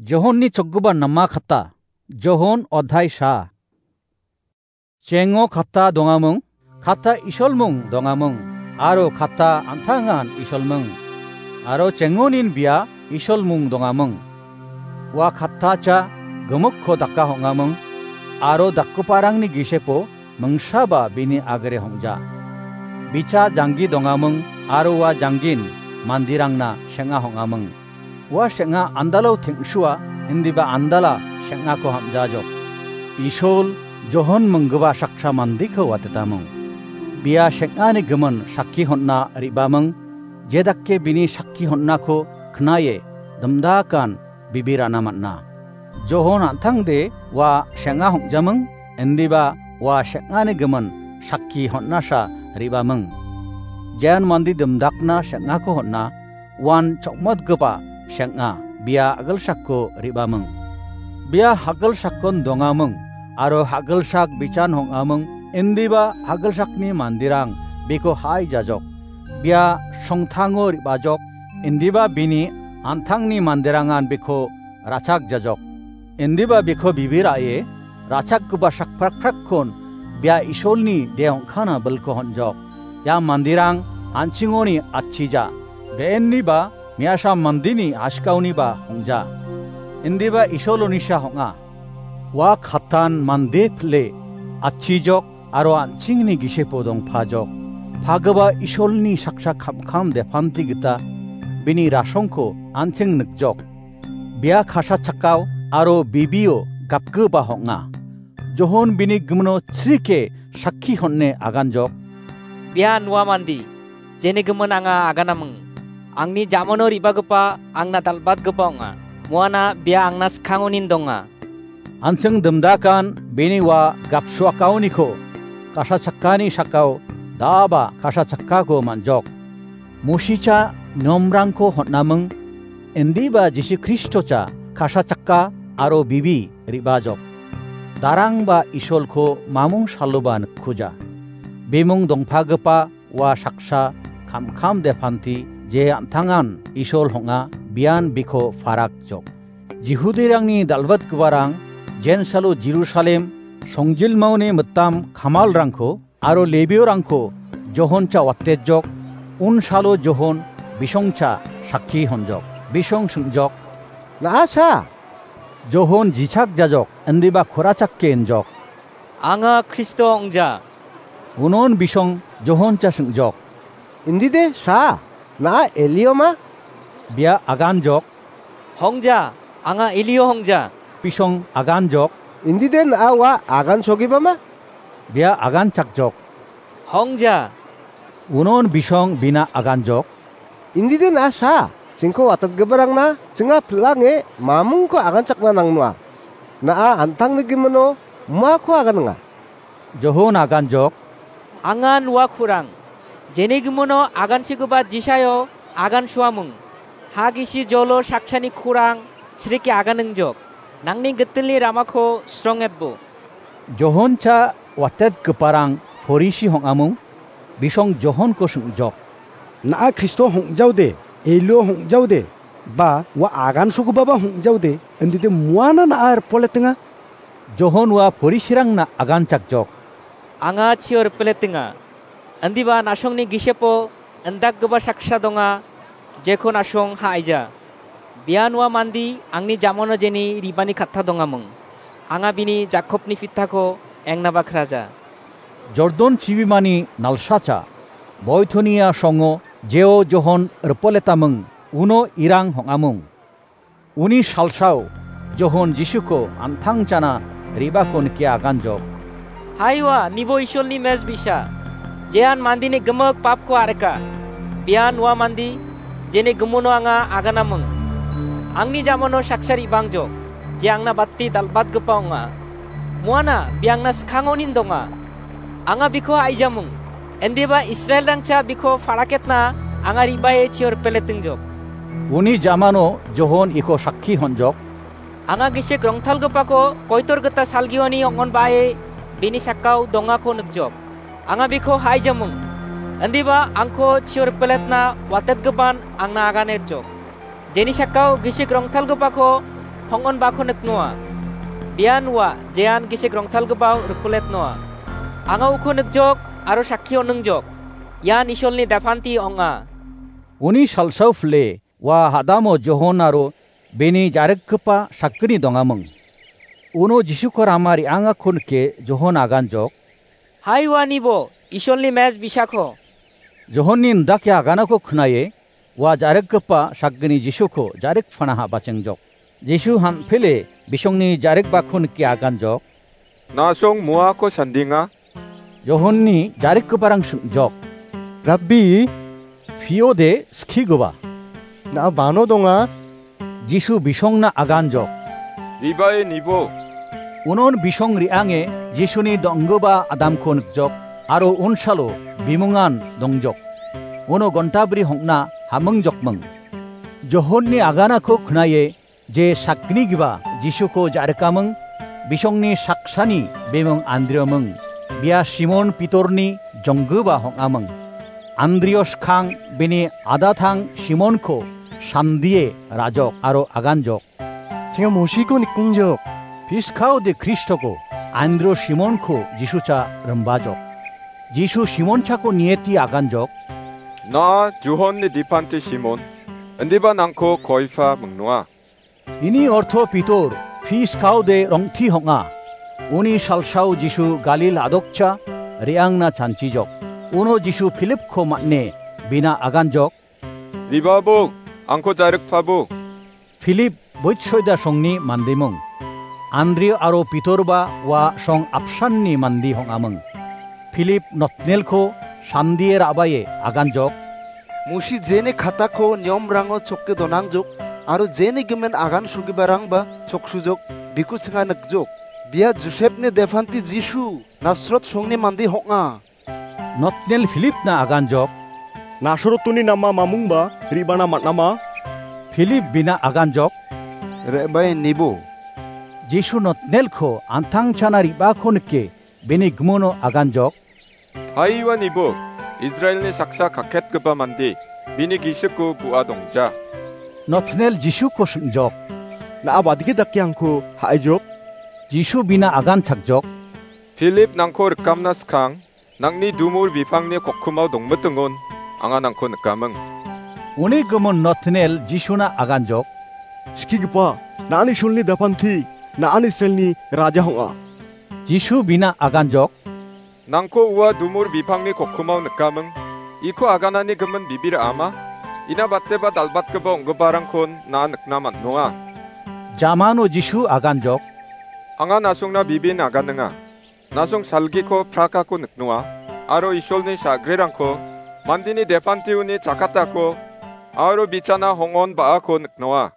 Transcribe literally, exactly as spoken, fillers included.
Johonni chokgipa nama kata, Johon odhai sa. Chengo kata dongamung, kata isolmung dongamung, aro kata antangan isolmung, aro chengonin bia isolmung dongamung. Ua kata cha gimikko daka hong·amung, aro dakgiparangni gisepo mingsaba bini agre hong·ja. Bicha janggi dongamung, aro ua janggin mandirangna seng·a hong·amung. Ua seng·a andalo teng·sua, indiba andala seng·ako ham·jajok. Isol Johon minggipa saksa mandeko watetamung. Bia seng·ani gimin sakki hon·na re·bamung, jedake bini sakki hon·nako knae dimdakan bibirana man·a. Johon an·tangde ua seng·a hong·jamung, indiba ua seng·ani gimin sakki hon·nasa re·bamung. Jean mande dimdakna seng·ako hon·a, uan chokmotgipa seng·a, bia a·gilsakko re·bamung. Bia a·gilsakkon dongamung, aro a·gilsak bichan hong·amung, indiba a·gilsakni manderang biko ha·aijajok. Bia songtango re·bajok, indiba bini an·tangni manderangan biko ra·chakjajok. Indiba biko bibir a·e ra·chakgipa sakprakprakkon bia Isolni de ong·kana bilko hon·jok. Ia manderang an·chingoni atchija. Be·enniba me·asa mandeni askaoniba ong·ja. Indiba Isol onisa ong·a. Ua katan mande pile atchijok aro an·chingni gisepo dongpajok. Pagipa Isolni saksa kamkam depanti gita bini rasongko an·ching nikjok. Bia kasa chakao aro bibio gapgipa ong·a. Johon bini gimino chrike sakki hon·e aganjok. Bian ua mande, jeni gimin anga aganaming. Angni jamano re·bagipa angna dal·batgipa ong·a. Muana bia angna skangonin donga. An·ching dimdakan bini ua gapsuakaoniko kasa chakkani sakao daba kasa chakkako man·jok. Mosicha niomrangko hon·aming, indiba Jisu Kristocha kasa chakka aro bibi re·bajok. Darangba Isolko mamung saloba nikkuja. Bimung dongpagipa ua saksa kamkam depanti je an·tangan Isol ong·a bian biko parakjok. Jihudirangni dal·batgiparang jensalo Jerusalem songjilmaoni mitam kamalrangko aro Lebiorangko Johoncha watejok, unsalo Johon bisongcha sakki honjok. Bisong singjok, "Na·a sa?" Johon jichak jajok, indiba korachakke injok, "Anga Kristo ong·ja." Unon bisong Johoncha singjok, "Indide sa, na·a Elio ma?" Bia aganjok, "Hongja, anga Elio hongja." Bisong aganjok, "Indide na·a ua agansogipa ma?" Bia aganchakjok, "Hongja." Unon bisong bina aganjok, "Indide na·a sa, chingko watatgiparangna chinga pil·ange mamungko aganchakna nangnoa. Na·a an·tangni gimino muako aganenga." Johon aganjok, "Angan ua kurang. Jeni gimino agansigipa Jisaio agansuamung. Ha gisi jolo saksani kurang srike aganingjok. Nangni gitilni ramako srongetbo." Johoncha watetgiparang Porisi hong·amung, bisong Johonko singjok, "Na·a Kristo hongjaode, Elio hongjaode, ba ua agansogipaba hongjaode, indide muana na·a ripoletenga?" Johon ua Porisirangna aganchakjok, "Anga chio ripoletenga. Indiba na·songni gisepo indakgipa saksa donga, jeko na·song ha·aija. Bian ua mande angni jamano jeni re·bani katta dongamung. Anga bini Jakobni pitako engnaba kraja." Jordon chibimani nalsacha, Boitonia songo jeo Johon ripoletamung, uno irang hong·amung. Uni salsao Johon Jisuko an·tangchana re·bako nike aganjok, "Haiwa, nibo Isolni mes bisa, jean mandeni gimik papko a·rika. Bian ua mande, jeni gimino anga aganamung. Angni jamano saksa re·bangjok, je angna bati dal·batgipa ong·a. Muana, bia angna skangonin donga. Anga biko ha·aijamung. Indiba Israelrangcha biko paraketna anga re·bae chio ripeletingjok." Uni jamano Johon iko sakki honjok, "Anga gisik rongtalgipako koitor gita salgioni ong·onbae bini sakao dongako nikjok. Anga biko ha·aijamung. Indiba angko chio ripeletna watetgipan angna aganerjok. Jeni sakao gisik rongtalgipako Hong·onbako niknoa. Bian ua, jean gisik rongtalgipao rikpoletnoa. Anga uko nikjok, aro sakki oningjok. Ian Isolni depanti ong·a. Uni salsao pile, ua hadamo Johon aro bini jarikgipa sakgni dongaming. Uno Jisuko rama re·angako nike Johon aganjok. Hai ua nibo, Isolni mej bisako. Johonni indake aganako knaye, ua jarikgipa sakgni Jisuko jarikpanaha bachengjok. Jisu han·pile bisongni jarikbako nike aganjok. Na·song moako sandenga? Johonni jarikgiparang sing·jok. Rabbi, piode skigipa. Na·a bano donga? Jisu bisongna aganjok. Ribae nibo. Unon bisong re·ange Jisuni donggipa adamko nikjok, aro unsalo bimungan dongjok. Uno gontabri hong·na hamingjokming. Johonni aganako knaye je sakgnigipa Jisuko jarikaming, bisongni saksani bimung Andrioming, bia Simon Pitorni jonggipa hong·aming. Andrio skang bini adatang Simonko sandie ra·jok aro aganjok. Chenga Mosiko nikongjok. Piskaode Kristoko, Andrio Simonko Jisucha rimbajok. Jisu Simon chako nieti aganjok. Na·a Johonni depanti Simon, indiba nangko Koifa mingnoa. Ini orto Pitor, piskaode rongti hong·a. Uni salsao Jisu Galil a·dokcha re·angna chanchijok. Uno Jisu Pilipko man·e bina aganjok. Ribabok, angko jarikpabok. Pilip Boitsoida songni mandimung. Andrio aro Pitorba ua song apsanni mandi hong·amung. Pilip Notnelko sandie ra·bae aganjok. Mosi jeni katako niomrango chokke donangjok, aro jeni gimin agan sugiparangba choksujok, biko chinga nikjok. Bia Josepni depanti Jisu, Nasrot songni mandi hong·a. Notnel Pilipna aganjok. Nasrotoni nama mamungba re·bana man·ama? Pilip bina aganjok. Re·bae nibo. Jisu Notnelko an·tangchana re·bako nike, bini gimono aganjok. Hai ua nibo, Israelni saksa kaketgipa mande, bini gisiko bu·a dongja. Notnel Jisuko sing·jok. Na·a badike dake angko ha·aijok? Jisu bina aganchakjok. Pilip nangko rikamna skang, nangni dumur bipangni kokkimao dongmitingon, anga nangko nikaming. Uni gimin Notnel Jisuna aganjok. Skigipa, na·an Isolni depanti, na·an Israelni raja hong·a. Jisu bina aganjok. Nangko ua dumur bipangni kokkimao nikaming, iko aganani gimin bibir ama, ina bateba dal·batgipa ong·giparangkon na·a nikna man·nonga. Jamano Jisu aganjok. Anga na·songna bibin aganinga. Na·song salgiko prakako niknoa, aro Isolni sa·grirangko, mandini depantioni chakatako, aro bichana hongon ba·ako niknoa.